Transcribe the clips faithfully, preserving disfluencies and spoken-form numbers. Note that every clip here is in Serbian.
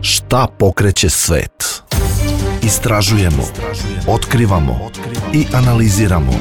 Šta pokreće svet? Istražujemo, otkrivamo i analiziramo.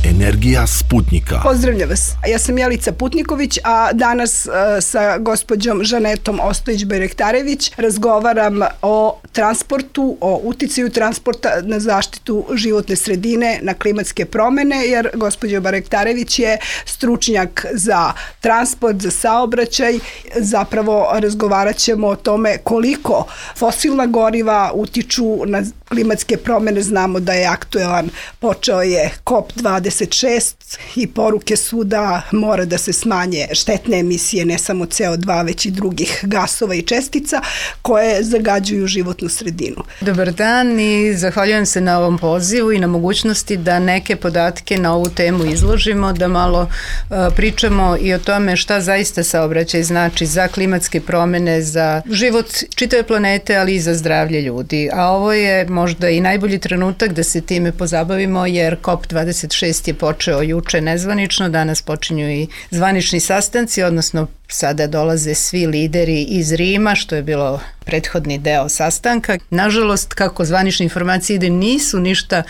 Energija Sputnika. Pozdravljam vas. Ja sam Jelica Putniković, a danas uh, sa gospođom Žanetom Ostojić-Bajrektarević razgovaram o transportu, o uticaju transporta na zaštitu životne sredine, na klimatske promene, jer gospođa Bajrektarević je stručnjak za transport, za saobraćaj. Zapravo razgovarat ćemo o tome koliko fosilna goriva utiču na klimatske promene. Znamo da je aktuelan, počeo je kop dvadeset šest i poruke su da mora da se smanje štetne emisije, ne samo C O dva, već i drugih gasova i čestica koje zagađuju životnu sredinu. Dobar dan i zahvaljujem se na ovom pozivu i na mogućnosti da neke podatke na ovu temu izložimo, da malo uh, pričamo i o tome šta zaista saobraćaj znači za klimatske promene, za život čitave planete, ali i za zdravlje ljudi. A ovo je možda i najbolji trenutak da se time pozabavimo, jer kop dvadeset šest je počeo juče nezvanično, danas počinju i zvanični sastanci, odnosno sada dolaze svi lideri iz Rima, što je bilo prethodni deo sastanka. Nažalost, kako zvanične informacije ide, nisu ništa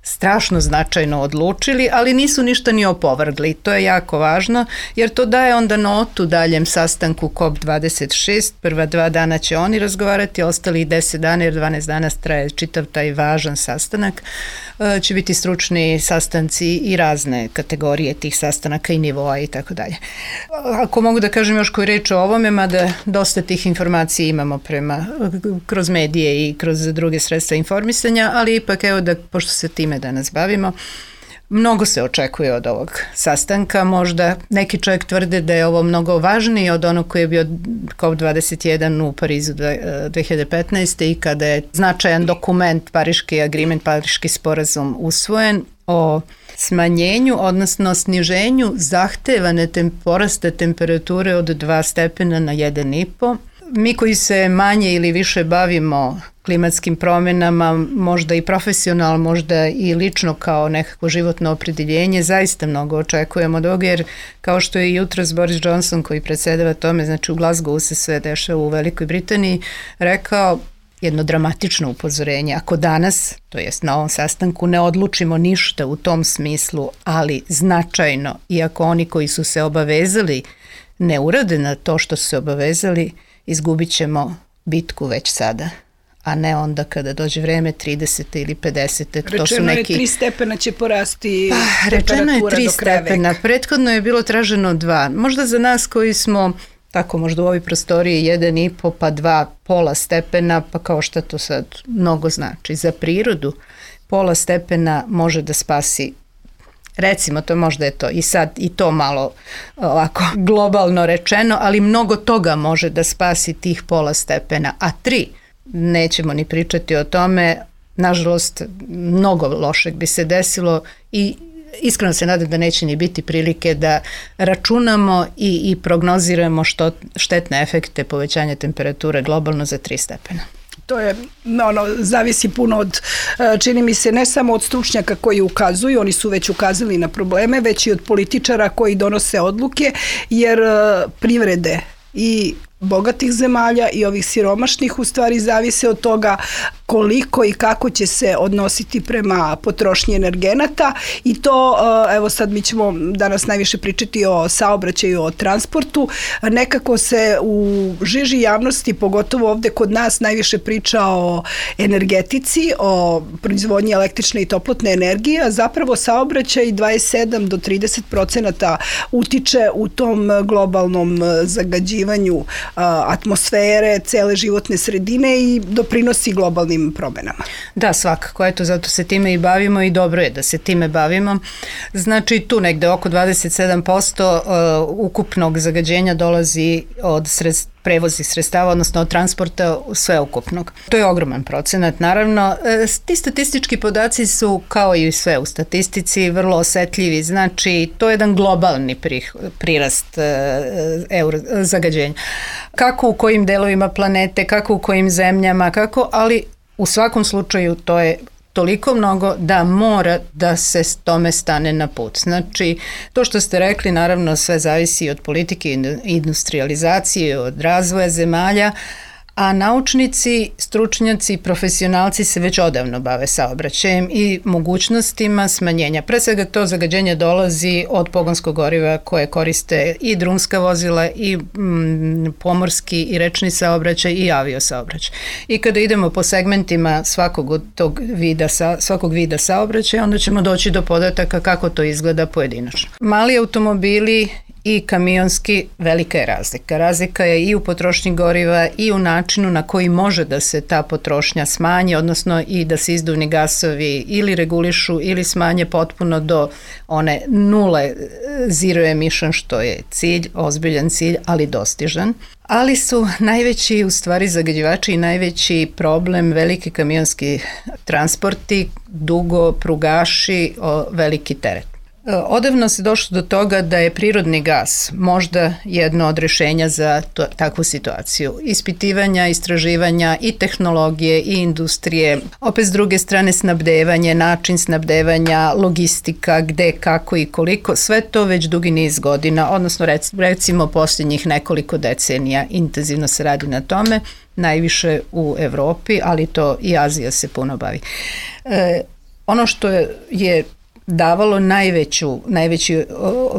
strašno značajno odlučili, ali nisu ništa ni opovrgli. To je jako važno, jer to daje onda notu daljem sastanku kop dvadeset šest. Prva dva dana će oni razgovarati, ostali deset dana, jer dvanaest dana traje čitav taj važan sastanak. Će biti stručni sastanci i razne kategorije tih sastanaka i nivoa i tako dalje. Ako mogu da kažem još koju reč o ovome, mada dosta tih informacija imamo prema, kroz medije i kroz druge sredstva informisanja, ali ipak evo da, pošto se time danas bavimo, mnogo se očekuje od ovog sastanka. Možda neki čovjek tvrde da je ovo mnogo važniji od onog koji je bio kop dvadeset jedan u Parizu dve hiljade petnaeste. i kada je značajan dokument, Pariški agreement, Pariški sporazum usvojen o smanjenju, odnosno sniženju zahtevane tem, porasta temperature od dva stepena na jedan i po. Mi koji se manje ili više bavimo klimatskim promjenama, možda i profesionalno, možda i lično kao nekako životno opredeljenje, zaista mnogo očekujemo od ovoga, jer kao što je jutros Boris Johnson, koji predsedava tome, znači u Glasgowu se sve dešava u Velikoj Britaniji, rekao jedno dramatično upozorenje. Ako danas, to jest na ovom sastanku, ne odlučimo ništa u tom smislu, ali značajno, iako oni koji su se obavezali ne urade na to što su se obavezali, izgubit ćemo bitku već sada, a ne onda kada dođe vreme tridesete ili pedesete. Rečeno to su neki... je tri stepena će porasti pa, rečeno je tri do kraja stepena, veka. prethodno je bilo traženo dva. Možda za nas koji smo tako možda u ovoj prostoriji jedan i po pa dva pola stepena, pa kao šta to sad mnogo znači. Za prirodu pola stepena može da spasi, recimo to možda je to i sad i to malo ovako globalno rečeno, ali mnogo toga može da spasi tih pola stepena, a tri nećemo ni pričati o tome. Nažalost, mnogo lošeg bi se desilo i iskreno se nadam da neće ni biti prilike da računamo i, i prognoziramo što štetne efekte povećanja temperature globalno za tri stepena. To je, ono, zavisi puno od, čini mi se, ne samo od stručnjaka koji ukazuju, oni su već ukazali na probleme, već i od političara koji donose odluke, jer privrede i bogatih zemalja i ovih siromašnih u stvari zavise od toga koliko i kako će se odnositi prema potrošnji energenata, i to, evo sad mi ćemo danas najviše pričati o saobraćaju, o transportu. Nekako se u žiži javnosti, pogotovo ovde kod nas, najviše priča o energetici, o proizvodnji električne i toplotne energije, a zapravo saobraćaj dvadeset sedam do trideset procenata utiče u tom globalnom zagađivanju atmosfere, cele životne sredine i doprinosi globalnim promenama. Da, svakako, eto, zato se time i bavimo i dobro je da se time bavimo. Znači, tu negde oko dvadeset sedam posto uh, ukupnog zagađenja dolazi od sredstva, prevozih sredstava, odnosno od transporta sveukupnog. To je ogroman procenat, naravno. Ti statistički podaci su, kao i sve u statistici, vrlo osetljivi, znači to je jedan globalni prirast euro, zagađenja. Kako u kojim delovima planete, kako u kojim zemljama, kako, ali u svakom slučaju to je toliko mnogo da mora da se tome stane na put. Znači, to što ste rekli, naravno sve zavisi od politike, industrializacije, od razvoja zemalja, a naučnici, stručnjaci, profesionalci se već odavno bave saobraćajem i mogućnostima smanjenja. Pre svega to zagađenje dolazi od pogonskog goriva koje koriste i drumska vozila i mm, pomorski i rečni saobraćaj i aviosaobraćaj. I kada idemo po segmentima svakog od tog vida, sa, svakog vida saobraćaja, onda ćemo doći do podataka kako to izgleda pojedinačno. Mali automobili i kamionski, velika je razlika. Razlika je i u potrošnji goriva i u načinu na koji može da se ta potrošnja smanji, odnosno i da se izduvni gasovi ili regulišu ili smanje potpuno do one nule zero emission, što je cilj, ozbiljan cilj, ali dostižan. Ali su najveći u stvari zagađivači i najveći problem veliki kamionski transporti, dugo prugaši, o, veliki teret. Odavno se došlo do toga da je prirodni gas možda jedno od rešenja za to, takvu situaciju. Ispitivanja, istraživanja i tehnologije i industrije, opet s druge strane snabdevanje, način snabdevanja, logistika, gde, kako i koliko, sve to već dugi niz godina, odnosno recimo posljednjih nekoliko decenija intenzivno se radi na tome, najviše u Evropi, ali to i Azija se puno bavi. E, ono što je, je davalo najveću, najveću,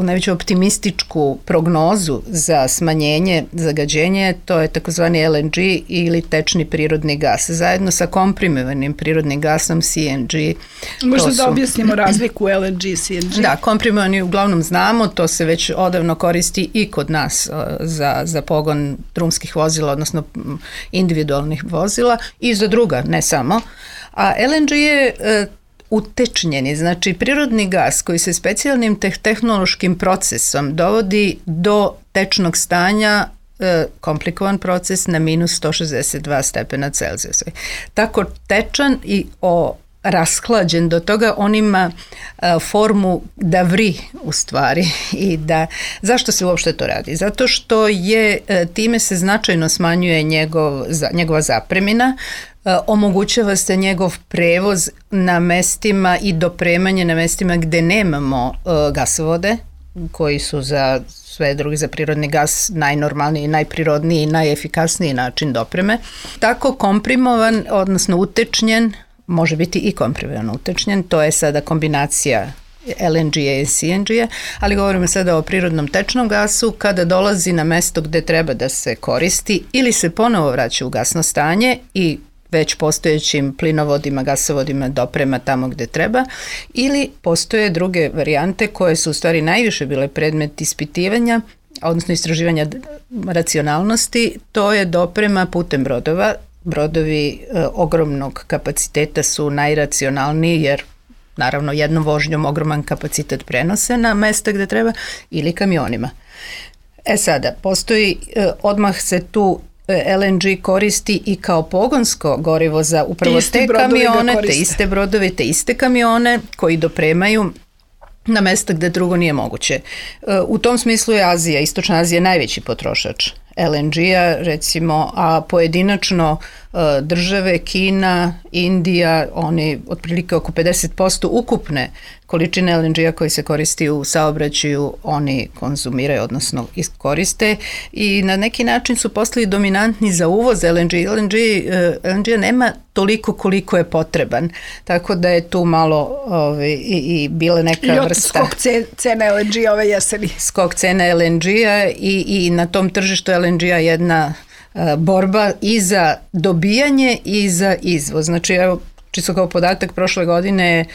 najveću optimističku prognozu za smanjenje zagađenja, to je takozvani L N G ili tečni prirodni gas, zajedno sa komprimovanim prirodnim gasom C N G. Možda su, da objasnimo razliku L N G, C N G. Da, komprimovani uglavnom znamo, to se već odavno koristi i kod nas za, za pogon drumskih vozila, odnosno individualnih vozila i za druga, ne samo. A L N G je utečnjeni, znači prirodni gas koji se specijalnim te- tehnološkim procesom dovodi do tečnog stanja, e, komplikovan proces na minus sto šezdeset dva stepena Celzijusa. Tako tečan i o rashlađen do toga, on ima a, formu da vri u stvari i da, zašto se uopšte to radi? Zato što je, a, time se značajno smanjuje njegov, za, njegova zapremina, a, omogućava se njegov prevoz na mestima i dopremanje na mestima gde nemamo a, gasovode, koji su za sve drugi, za prirodni gas najnormalniji, najprirodniji i najefikasniji način dopreme. Tako komprimovan, odnosno utečnjen, može biti i komprimovano utečnjen, to je sada kombinacija L N G-a i C N G-a, ali govorimo sada o prirodnom tečnom gasu kada dolazi na mesto gde treba da se koristi ili se ponovo vraća u gasno stanje i već postojećim plinovodima, gasovodima doprema tamo gde treba, ili postoje druge varijante koje su u stvari najviše bile predmet ispitivanja, odnosno istraživanja racionalnosti, to je doprema putem brodova. Brodovi e, ogromnog kapaciteta su najracionalniji jer naravno jednom vožnjom ogroman kapacitet prenose na mesta gde treba, ili kamionima. E sada, postoji, e, odmah se tu L N G koristi i kao pogonsko gorivo za upravo te kamione, te iste brodove, te iste kamione koji dopremaju na mesta gde drugo nije moguće. U tom smislu je Azija, Istočna Azija najveći potrošač L N G-a, recimo, a pojedinačno države, Kina, Indija, oni otprilike oko pedeset posto ukupne količine L N G-a koji se koristi u saobraćaju, oni konzumiraju, odnosno koriste i na neki način su postali dominantni za uvoz L N G. L N G, L N G nema toliko koliko je potreban, tako da je tu malo ovaj, i, i bila neka I vrsta... skok cene L N G ove jeseni. Skok cene L N G-a i, i na tom tržištu L N G-a jedna borba i za dobijanje i za izvoz. Znači, evo, čisto kao podatak, prošle godine je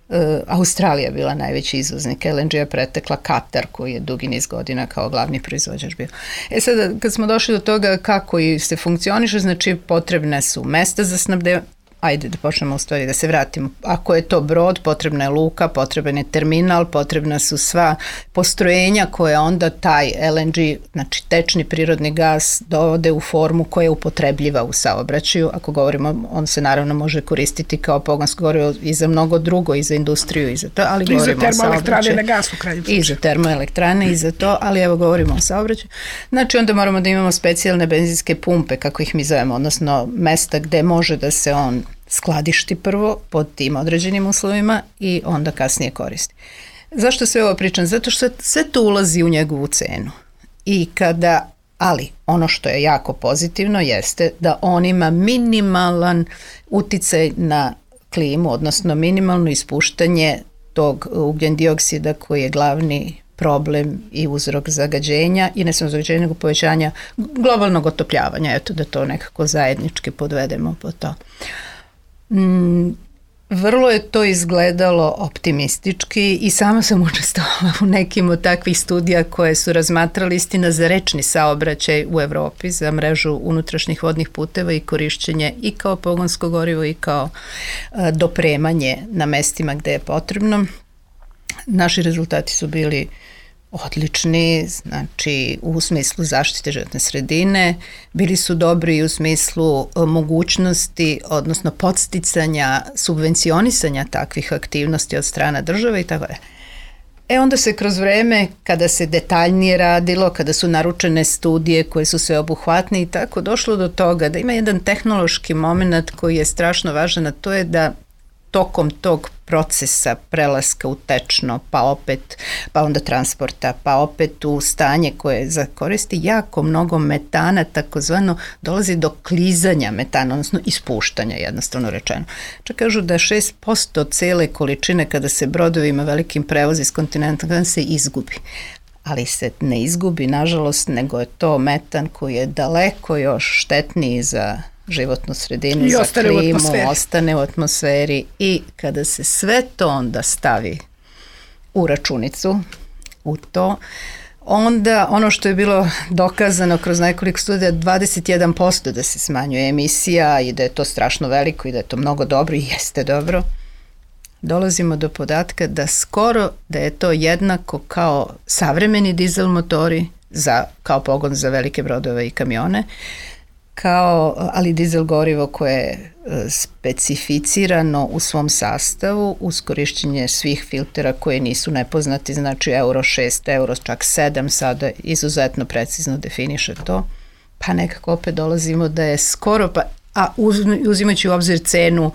uh, Australija bila najveći izvoznik L N G-a, pretekla Katar koji je dugi niz godina kao glavni proizvođač bio. E sada, kad smo došli do toga kako i se funkcioniše, znači potrebne su mesta za snabdevanje, ajde da počnemo u stvari da se vratimo. Ako je to brod, potrebna je luka, potreban je terminal, potrebna su sva postrojenja koje onda taj L N G, znači tečni prirodni gas, dovode u formu koja je upotrebljiva u saobraćaju. Ako govorimo, on se naravno može koristiti kao pogonsko gorivo i za mnogo drugo, i za industriju, i za to, ali I govorimo o saobraćaju. I za termoelektrane na gas u kraju. I za termoelektrane, i za to, ali evo govorimo o saobraćaju. Znači onda moramo da imamo specijalne benzinske pumpe, kako ih mi zovemo, odnosno mesta gde može da se on skladišti prvo pod tim određenim uslovima i onda kasnije koristi. Zašto sve ovo pričam? Zato što sve to ulazi u njegovu cenu. I kada, ali ono što je jako pozitivno jeste da on ima minimalan uticaj na klimu, odnosno minimalno ispuštanje tog ugljen dioksida koji je glavni problem i uzrok zagađenja i ne samo zagađenja nego povećanja globalnog otopljavanja, eto da to nekako zajednički podvedemo po to. Mm, vrlo je to izgledalo optimistički i sama sam učestvovala u nekim od takvih studija koje su razmatrali istina za rečni saobraćaj u Evropi, za mrežu unutrašnjih vodnih puteva i korišćenje i kao pogonsko gorivo i kao a, dopremanje na mestima gde je potrebno. Naši rezultati su bili odlični, znači u smislu zaštite životne sredine, bili su dobri i u smislu mogućnosti, odnosno podsticanja, subvencionisanja takvih aktivnosti od strane države i tako da. E onda se kroz vreme, kada se detaljnije radilo, kada su naručene studije koje su sveobuhvatne i tako, došlo do toga da ima jedan tehnološki moment koji je strašno važan, a to je da tokom tog procesa prelaska u tečno, pa opet, pa onda transporta, pa opet u stanje koje za koristi jako mnogo metana, takozvano dolazi do klizanja metana, odnosno ispuštanja, jednostavno rečeno. Čak kažu da šest posto cele količine kada se brodovima velikim prevozi iz kontinenta se izgubi. Ali se ne izgubi, nažalost, nego je to metan koji je daleko još štetniji za životnu sredinu, I za klimu, ostane u atmosferi i kada se sve to onda stavi u računicu, u to, onda ono što je bilo dokazano kroz nekoliko studija, dvadeset jedan posto da se smanjuje emisija i da je to strašno veliko i da je to mnogo dobro i jeste dobro, dolazimo do podatka da skoro da je to jednako kao savremeni dizel motori za, kao pogon za velike brodove i kamione, kao, ali dizel gorivo koje je specificirano u svom sastavu uz korišćenje svih filtera koje nisu nepoznati, znači euro šest, euro čak sedam sada izuzetno precizno definiše to, pa nekako opet dolazimo da je skoro, pa, a uz, uzimajući u obzir cenu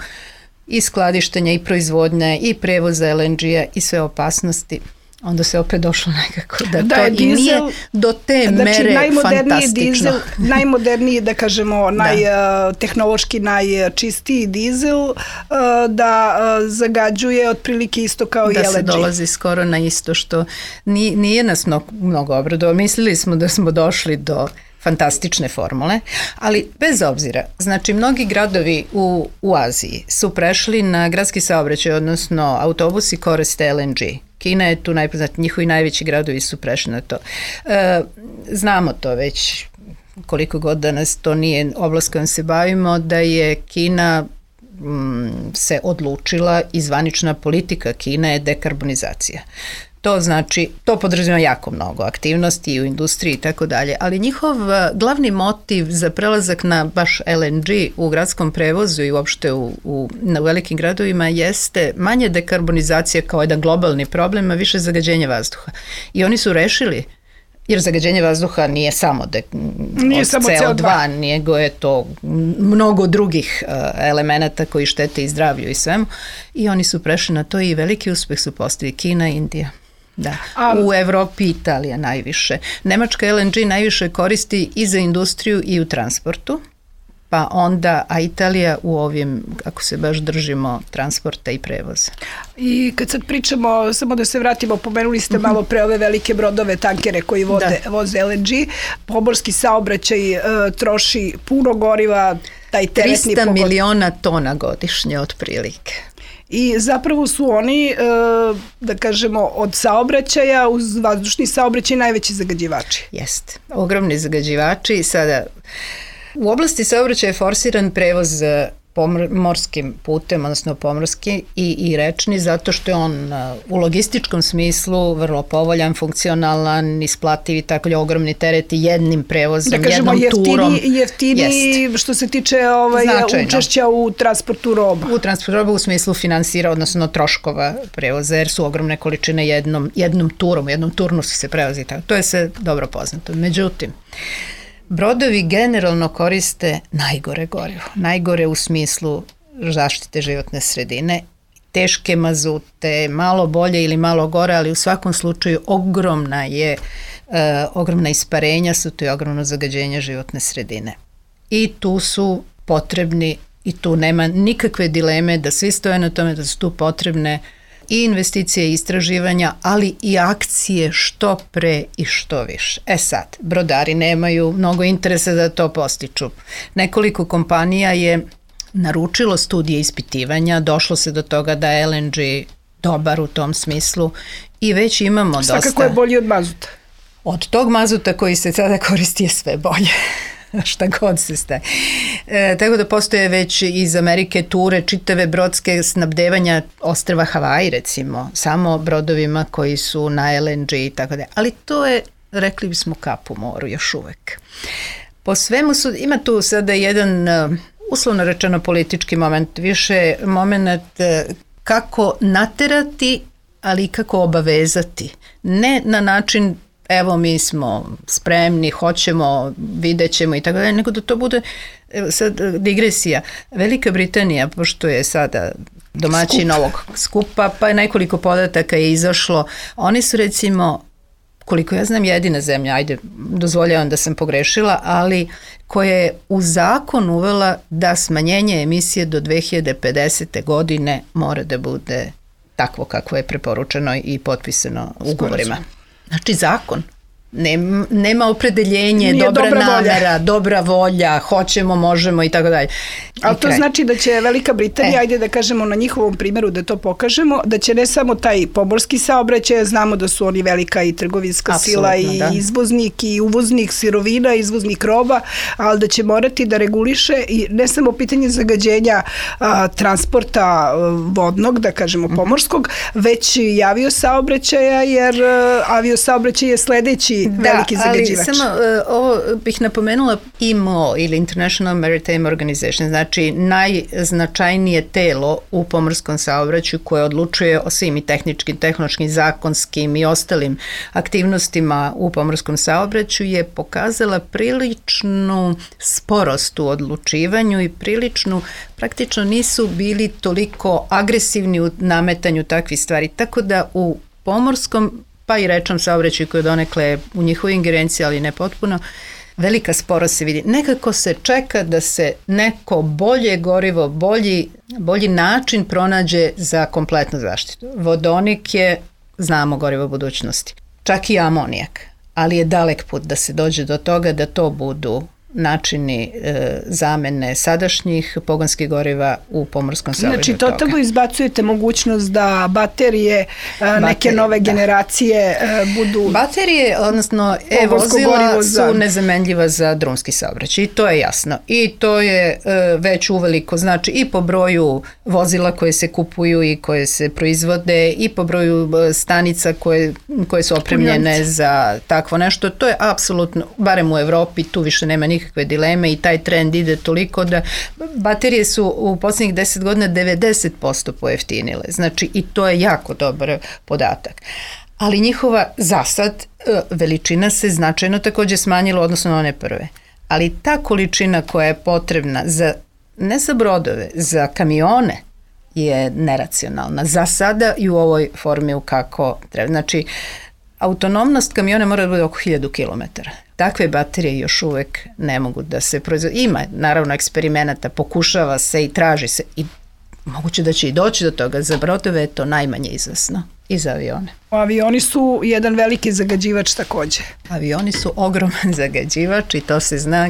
i skladištenja i proizvodnje i prevoza el en ge-a i sve opasnosti, onda se opet došlo nekako da, da to dizel, i nije do te znači, mere fantastično. Dizel, najmoderniji, da kažemo, naj, da. tehnološki najčistiji dizel da zagađuje otprilike isto kao da i el en ge. Da se dolazi skoro na isto što nije, nije nas mnogo, mnogo obradova. Mislili smo da smo došli do fantastične formule, ali bez obzira, znači mnogi gradovi u, u Aziji su prešli na gradski saobraćaj, odnosno autobusi koriste el en ge. Kina je tu najpoznatiji, njihovi najveći gradovi su prešli na to. E, znamo to već koliko god danas to nije oblast kojom se bavimo, da je Kina m, se odlučila i zvanična politika Kine je dekarbonizacija. To znači, to podrazumijeva jako mnogo aktivnosti i u industriji i tako dalje, ali njihov glavni motiv za prelazak na baš el en ge u gradskom prevozu i uopšte u, u, na velikim gradovima jeste manje dekarbonizacija kao jedan globalni problem, a više zagađenje vazduha. I oni su rešili, jer zagađenje vazduha nije samo, de, nije samo ce o dva, nego je to mnogo drugih uh, elemenata koji štete i zdravlju i svemu. I oni su prešli na to i veliki uspeh su postigli Kina i Indija. Da. A, u Evropi Italija najviše. Nemačka el en ge najviše koristi i za industriju i u transportu, pa onda, a Italija u ovim, ako se baš držimo, transporta i prevoza. I kad sad pričamo, samo da se vratimo, pomenuli ste malo pre ove velike brodove, tankere koji vode, da. voze el en ge, pomorski saobraćaj e, troši puno goriva, taj teretni trista miliona tona godišnje otprilike. I zapravo su oni, da kažemo, od saobraćaja uz vazdušni saobraćaj najveći zagađivači. Jeste, ogromni zagađivači. I sada, u oblasti saobraćaja je forsiran prevoz pomorskim putem, odnosno pomorski i, i rečni, zato što je on u logističkom smislu vrlo povoljan, funkcionalan, isplativ i tako je ogromni tereti jednim prevozom, da kažemo, jednom jeftini, turom. Jeftini što se tiče ovaj, učešća u transportu roba. U transportu roba u smislu finansira, odnosno troškova prevoza, jer su ogromne količine jednom, jednom turom, jednom turnusu se prevozi. Tako. To je sve dobro poznato. Međutim, brodovi generalno koriste najgore gorivo. Najgore u smislu zaštite životne sredine, teške mazute, malo bolje ili malo gore, ali u svakom slučaju ogromna je, uh, ogromna isparenja su to i ogromno zagađenje životne sredine. I tu su potrebni, i tu nema nikakve dileme da svi stoje na tome da su tu potrebne i investicije i istraživanja, ali i akcije što pre i što više. E sad, brodari nemaju mnogo interesa da to postiču. Nekoliko kompanija je naručilo studije ispitivanja, došlo se do toga da je L N G dobar u tom smislu i već imamo dosta... Svakako je bolji od mazuta. Od tog mazuta koji se sada koristi je sve bolje. Šta god se staje. E, tako da postoje već iz Amerike ture čitave brodske snabdevanja ostrva Havaji, recimo, samo brodovima koji su na L N G i tako da. Ali to je, rekli bismo, kap u moru još uvek. Po svemu su, ima tu sada jedan, uslovno rečeno, politički moment, više moment kako naterati, ali i kako obavezati. Ne na način evo mi smo spremni, hoćemo, vidjet ćemo i tako dalje, nego da to bude, evo sad digresija, Velika Britanija, pošto je sada domaćin Skup. ovog skupa, pa je nekoliko podataka je izašlo, oni su recimo, koliko ja znam, jedina zemlja, ajde, dozvoljavam da sam pogrešila, ali koja je u zakon uvela da smanjenje emisije do dve hiljade pedesete. godine mora da bude takvo kako je preporučeno i potpisano ugovorima. Znači zakon. Nema, nema opredeljenje, Nije dobra, dobra namera, volja. dobra volja, hoćemo, možemo i tako dalje. Ali to znači da će Velika Britanija, e. ajde da kažemo na njihovom primjeru da to pokažemo, da će ne samo taj pomorski saobraćaj, znamo da su oni velika i trgovinska Absolutno, sila i da. izvoznik i uvoznik sirovina, izvoznik roba, ali da će morati da reguliše i ne samo pitanje zagađenja a, transporta a, vodnog, da kažemo pomorskog, već i aviosaobraćaja, jer a, aviosaobraćaj je sledeći Da, veliki zagađivač. Ali samo uh, ovo bih napomenula I M O ili International Maritime Organization, znači najznačajnije telo u pomorskom saobraćaju koje odlučuje o svim i tehničkim, tehnološkim, zakonskim i ostalim aktivnostima u pomorskom saobraćaju je pokazala priličnu sporost u odlučivanju i priličnu, praktično nisu bili toliko agresivni u nametanju takvih stvari, tako da u pomorskom pa i rečnom saobraćaju koji donekle u njihovoj ingerenciji, ali ne potpuno, velika sporost se vidi. Nekako se čeka da se neko bolje gorivo, bolji, bolji način pronađe za kompletnu zaštitu. Vodonik je, znamo, gorivo budućnosti. Čak i amonijak, ali je dalek put da se dođe do toga da to budu načini e, zamene sadašnjih pogonskih goriva u pomorskom saobraćaju. Znači, totalno izbacujete mogućnost da baterije, baterije neke nove da. generacije e, budu... Baterije, odnosno e-vozila za... su nezamenljiva za drumski saobraćaj i to je jasno. I to je e, već uveliko, znači i po broju vozila koje se kupuju i koje se proizvode i po broju stanica koje, koje su opremljene Punjanice. za takvo nešto. To je apsolutno, barem u Evropi, tu više nema nikakve kakve dileme i taj trend ide toliko da baterije su u posljednjih deset godina devedeset posto pojeftinile. Znači i to je jako dobar podatak. Ali njihova zasad veličina se značajno također smanjila odnosno na one prve. Ali ta količina koja je potrebna za, ne za brodove, za kamione je neracionalna. Za sada i u ovoj formi u kako treba. Znači, autonomnost kamiona mora da bude oko hiljadu kilometara. Takve baterije još uvek ne mogu da se proizvode. Ima, naravno, eksperimenata, pokušava se i traži se i moguće da će i doći do toga. Za brodove je to najmanje izvesno i za avione. Avioni su jedan veliki zagađivač takođe. Avioni su ogroman zagađivač i to se zna.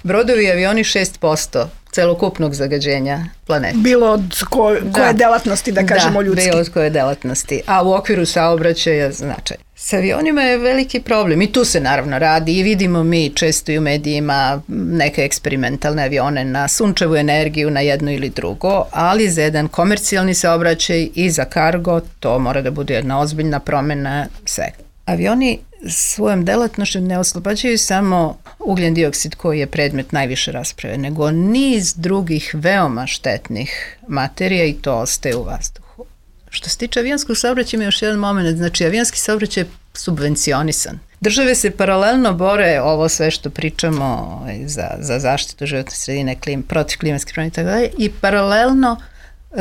Brodovi i avioni šest posto celokupnog zagađenja planete. Bilo od ko, koje da. delatnosti, da kažemo da, ljudski. Da, bilo od koje delatnosti. A u okviru saobraćaja značaj. S avionima je veliki problem i tu se naravno radi i vidimo mi često i u medijima neke eksperimentalne avione na sunčevu energiju, na jedno ili drugo, ali za jedan komercijalni saobraćaj i za kargo to mora da bude jedna ozbiljna promjena svega. Avioni svojom delatnošću ne oslobađaju samo ugljen dioksid koji je predmet najviše rasprave, nego niz drugih veoma štetnih materija i to ostaje u vazduhu. Što se tiče avionskog saobraćaja ima još jedan moment, znači avionski saobraćaj je subvencionisan. Države se paralelno bore, ovo sve što pričamo za, za zaštitu životne sredine, klim, protiv klimatskih promjena i tako dalje, i paralelno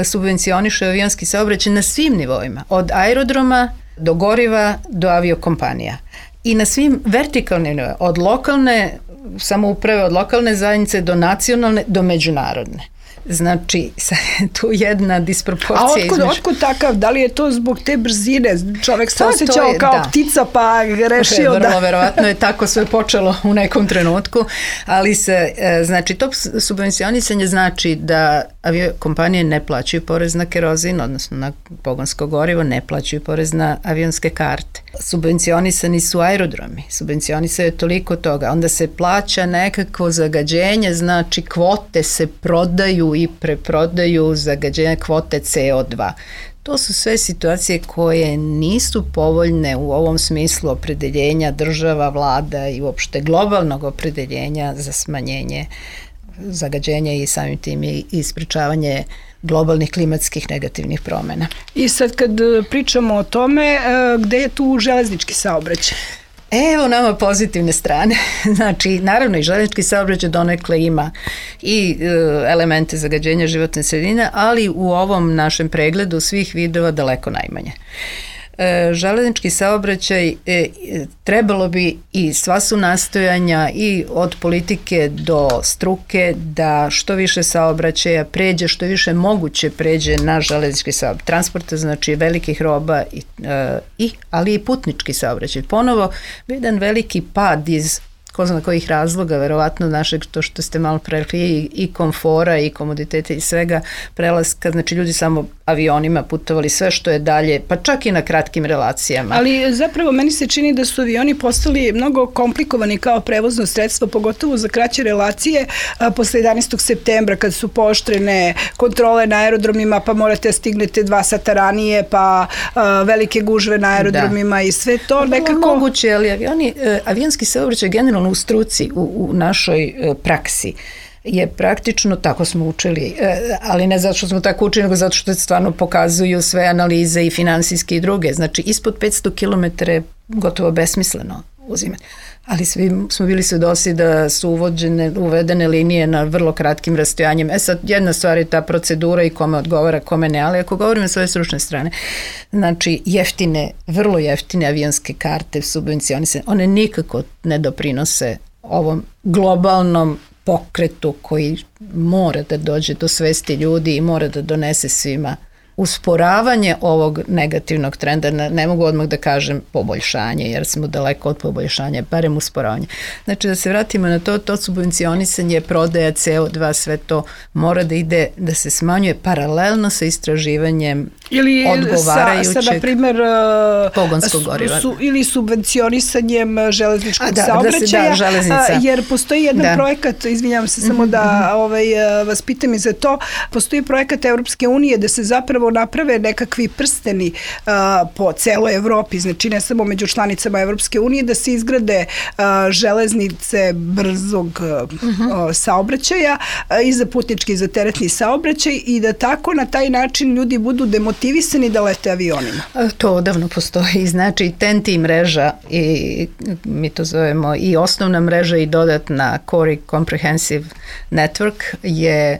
subvencioniše avionski saobraćaj na svim nivoima, od aerodroma do goriva do aviokompanija. I na svim vertikalnim nivoima, od lokalne samouprave, od lokalne zajednice do nacionalne, do međunarodne. Znači, tu jedna disproporcija. A otkud, između... otkud takav? Da li je to zbog te brzine? Čovek se to, osjećao to je, kao da. ptica pa rešio vrlo, da... Vrlo verovatno je tako sve počelo u nekom trenutku, ali se, znači, to subvencionisanje znači da aviokompanije ne plaćaju porez na kerozin, odnosno na pogonsko gorivo, ne plaćaju porez na avionske karte. Subvencionisani su aerodromi, subvencionisaju toliko toga, onda se plaća nekako zagađenje, znači kvote se prodaju i preprodaju zagađenja kvote C O dva. To su sve situacije koje nisu povoljne u ovom smislu opredeljenja država, vlada i uopšte globalnog opredeljenja za smanjenje zagađenja i samim tim i sprečavanje globalnih klimatskih negativnih promjena. I sad kad pričamo o tome, gde je tu železnički saobraćaj? Evo nama pozitivne strane. Znači, naravno i železnički saobraćaj donekle ima i e, elemente zagađenja životne sredine, ali u ovom našem pregledu svih vidova daleko najmanje. E, železnički saobraćaj e, trebalo bi i sva su nastojanja i od politike do struke da što više saobraćaja pređe, što više moguće pređe na železnički saobraćaj. Transporta znači velikih roba, i, e, i, ali i putnički saobraćaj. Ponovo, jedan veliki pad iz ko zna kojih razloga, verovatno našeg, to što ste malo prerekli, i, i komfora i komoditeta i svega prelaska, znači ljudi samo avionima putovali sve što je dalje, pa čak i na kratkim relacijama. Ali zapravo meni se čini da su avioni postali mnogo komplikovani kao prevozno sredstvo, pogotovo za kraće relacije, a, posle jedanaestog septembra kad su pooštrene kontrole na aerodromima, pa morate stignete dva sata ranije, pa a, velike gužve na aerodromima, da. I sve to pa, nekako... Moguće, ali avioni, avionski saobraćaj generalno u struci, u, u našoj praksi je praktično, tako smo učili, ali ne zato što smo tako učili, nego zato što stvarno pokazuju sve analize i finansijske i druge. Znači, ispod petsto kilometara je gotovo besmisleno uzimati. Ali svi smo bili svedoci da su uvođene, uvedene linije na vrlo kratkim rastojanjima. E sad, jedna stvar je ta procedura i kome odgovara, kome ne, ali ako govorimo s ove stručne strane, znači jeftine, vrlo jeftine avionske karte subvencionisane, one nikako ne doprinose ovom globalnom pokretu koji mora da dođe do svesti ljudi i mora da donese svima usporavanje ovog negativnog trenda, ne mogu odmah da kažem poboljšanje, jer smo daleko od poboljšanja, barem usporavanje. Znači da se vratimo na to, to subvencionisanje, prodaja C O dva, sve to mora da ide, da se smanjuje paralelno sa istraživanjem ili odgovarajućeg sa, sa, na primer, pogonskog goriva. Su, ili subvencionisanjem železničkog da, saobraćaja, da se, da, železnica. Jer postoji jedan da. projekat, izvinjavam se samo da ovaj, vas pitam i za to, postoji projekat Evropske unije da se zapravo naprave nekakvi prsteni uh, po celoj Evropi, znači ne samo među članicama Evropske unije, da se izgrade uh, železnice brzog uh, uh-huh. saobraćaja uh, i za putnički i za teretni saobraćaj i da tako na taj način ljudi budu demotivisani da lete avionima. To odavno postoji, znači T N T mreža i mi to zovemo i osnovna mreža i dodatna Core Comprehensive Network je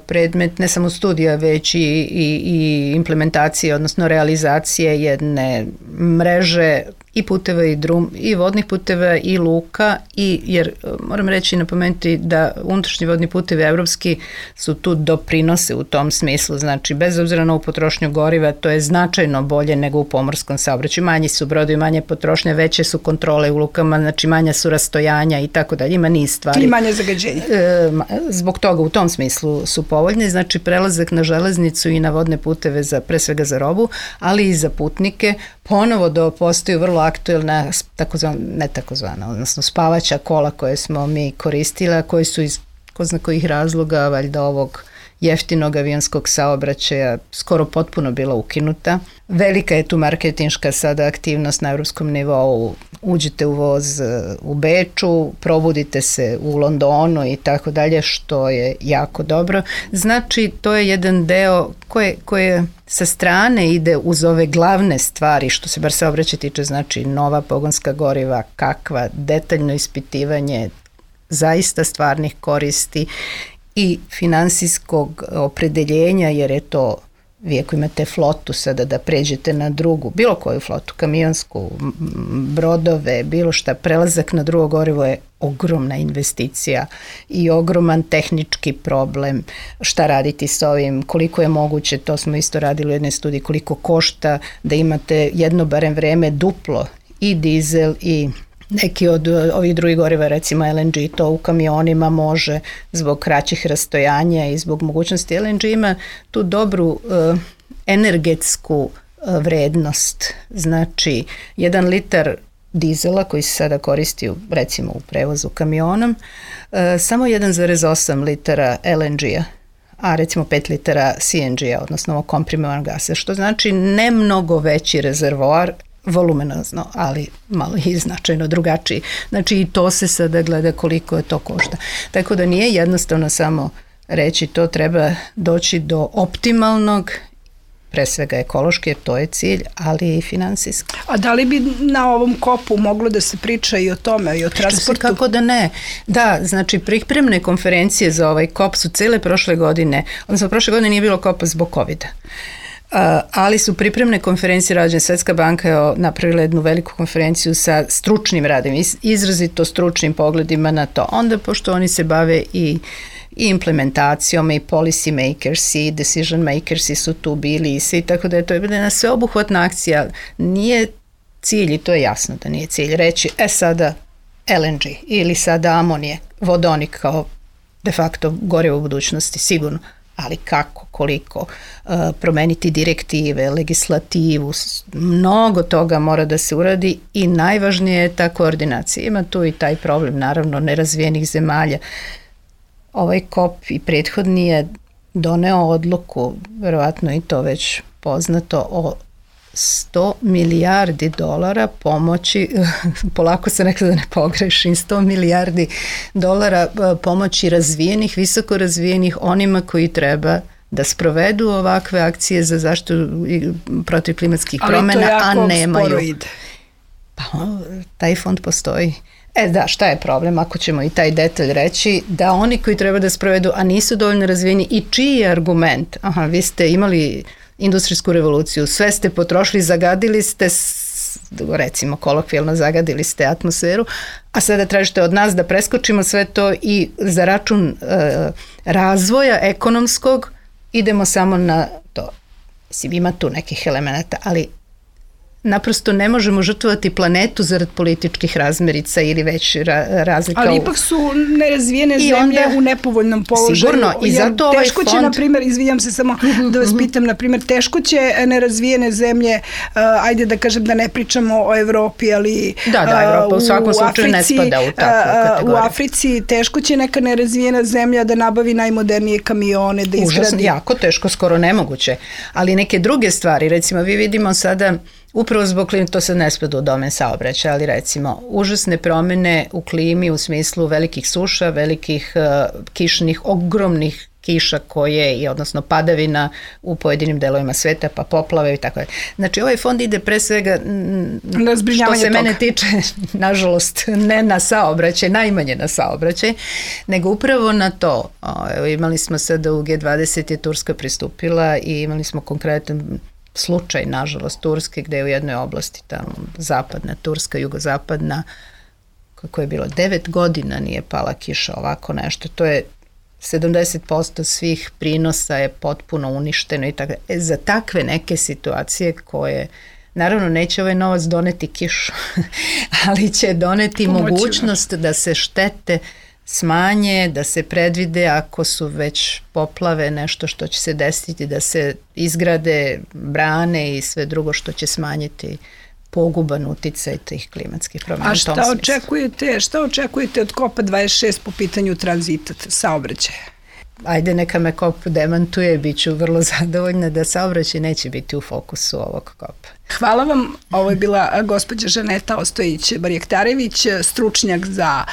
predmet ne samo studija, već i, i, i implementacije, odnosno realizacije jedne mreže i puteva i drum, i vodnih puteva i luka, i jer moram reći i napomenuti da unutrašnji vodni putevi evropski su tu doprinose u tom smislu, znači bez obzira na ovu potrošnju goriva, to je značajno bolje nego u pomorskom saobraćaju, manji su brodovi, manje potrošnje, veće su kontrole u lukama, znači manja su rastojanja i tako dalje, ima niz stvari. I manje zagađenja. E, zbog toga u tom smislu su povoljne, znači prelazak na železnicu i na vodne puteve za, pre svega za robu, ali i za putnike, ponovo da postaju vrlo aktuelna, takozvana, ne takozvana, odnosno spavaća kola koje smo mi koristili, koji su iz ko zna kojih razloga, valjda ovog jeftinog avionskog saobraćaja skoro potpuno bila ukinuta. Velika je tu marketinška sada aktivnost na evropskom nivou uđete u voz u Beču, probudite se u Londonu i tako dalje, što je jako dobro. Znači, to je jedan deo koje, koje sa strane ide uz ove glavne stvari, što se bar saobraćaja tiče, znači nova pogonska goriva, kakva, detaljno ispitivanje zaista stvarnih koristi i finansijskog opredeljenja, jer je to, vi ako imate flotu sada da pređete na drugu, bilo koju flotu, kamionsku, brodove, bilo šta, prelazak na drugo gorivo je ogromna investicija i ogroman tehnički problem. Šta raditi s ovim, koliko je moguće, to smo isto radili u jednoj studiji, koliko košta da imate jedno barem vreme duplo i dizel i neki od ovih drugih goriva, recimo L N G, to u kamionima može zbog kraćih rastojanja i zbog mogućnosti. L N G ima tu dobru uh, energetsku uh, vrednost. Znači, jedan litar dizela koji se sada koristi u, recimo u prevozu kamionom, uh, samo jedan zarez osam litara L N G-a, a recimo pet litara C N G-a, odnosno komprimovanog gasa, što znači ne mnogo veći rezervoar, volumenozno, ali malo i značajno drugačiji. Znači i to se sada gleda koliko je to košta. Tako da nije jednostavno samo reći to, treba doći do optimalnog, pre svega ekološki, jer to je cilj, ali i finansijski. A da li bi na ovom kopu moglo da se priča i o tome, i o transportu? Kako da ne. Da, znači pripremne konferencije za ovaj kop su cele prošle godine, odnosno prošle godine nije bilo kopa zbog covida. Uh, ali su pripremne konferencije rađene. Svetska banka je napravila jednu veliku konferenciju sa stručnim radom, izrazito stručnim pogledima na to. Onda, pošto oni se bave i, i implementacijom, i policy makers, i decision makers su tu bili i svi, tako da je to jedna sveobuhvatna akcija. Nije cilj, i to je jasno da nije cilj, reći, e sada L N G ili sada amonije, vodonik kao de facto gorivo u budućnosti, sigurno. Ali kako, koliko, uh, promeniti direktive, legislativu, mnogo toga mora da se uradi i najvažnije je ta koordinacija. Ima tu i taj problem, naravno, nerazvijenih zemalja. Ovaj kop i prethodni je doneo odluku, verovatno i to već poznato, o sto milijardi dolara pomoći, polako se rekla da ne pogrešim, sto milijardi dolara pomoći razvijenih, visoko razvijenih, onima koji treba da sprovedu ovakve akcije za zaštitu protiv klimatskih promjena, a nemaju. Ide. Pa taj fond postoji. E da, šta je problem, ako ćemo i taj detalj reći, da oni koji treba da sprovedu, a nisu dovoljno razvijeni, i čiji je argument? Aha, vi ste imali industrijsku revoluciju, sve ste potrošili, zagadili ste, recimo kolokvijalno zagadili ste atmosferu, a sada tražite od nas da preskočimo sve to i za račun e, razvoja ekonomskog idemo samo na to. Mislim, ima tu nekih elemenata, ali naprosto ne možemo žrtvovati planetu zarad političkih razmerica ili već ra, razlika. Ali ipak su nerazvijene zemlje onda, u nepovoljnom položaju. Sigurno, i zato ovaj teško fond... će, na primjer, izvijam se samo da vas pitam, na primjer, teško će nerazvijene zemlje, uh, ajde da kažem da ne pričamo o Evropi, ali da, da, Evropa u svakom slučaju ne spada u takvu kategoriju. U Africi teško će neka nerazvijena zemlja da nabavi najmodernije kamione, da izgradi. Užasno, jako teško, skoro nemoguće. Ali neke druge stvari, recimo vi vidimo sada, upravo zbog klime, to se ne spada u domen saobraćaja, ali recimo užasne promjene u klimi u smislu velikih suša, velikih uh, kišnih, ogromnih kiša koje, i odnosno padavina u pojedinim delovima sveta, pa poplave i tako je. Znači ovaj fond ide pre svega, što se toga. Mene tiče, nažalost, ne na saobraćaj, najmanje na saobraćaj, nego upravo na to. O, evo, imali smo sada u G dvadeset je Turska pristupila i imali smo konkretan slučaj, nažalost, Turske, gde je u jednoj oblasti, tamo zapadna Turska, jugozapadna, kako je bilo, devet godina nije pala kiša, ovako nešto. To je sedamdeset posto svih prinosa je potpuno uništeno i tako. E, za takve neke situacije koje, naravno, neće ovaj novac doneti kišu, ali će doneti Pomoći mogućnost nas. Da se štete smanje, da se predvide ako su već poplave, nešto što će se desiti, da se izgrade brane i sve drugo što će smanjiti poguban uticaj tih klimatskih promjena. A šta očekujete, šta očekujete od kopa dvadeset šest po pitanju tranzita, saobraćaja? ajde neka me kop demantuje, bit ću vrlo zadovoljna da saobraćaj neće biti u fokusu ovog kopa. Hvala vam. Ovo je bila gospođa Žaneta Ostojić-Barjektarević, stručnjak za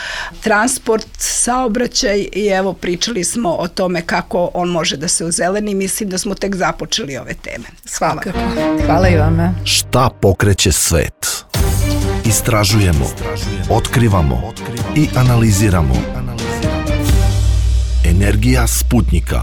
transport, saobraćaj i evo pričali smo o tome kako on može da se ozeleni. Mislim da smo tek započeli ove teme. Hvala. Hvala i vama. Šta pokreće svet? Istražujemo, otkrivamo i analiziramo. Energija Sputnika.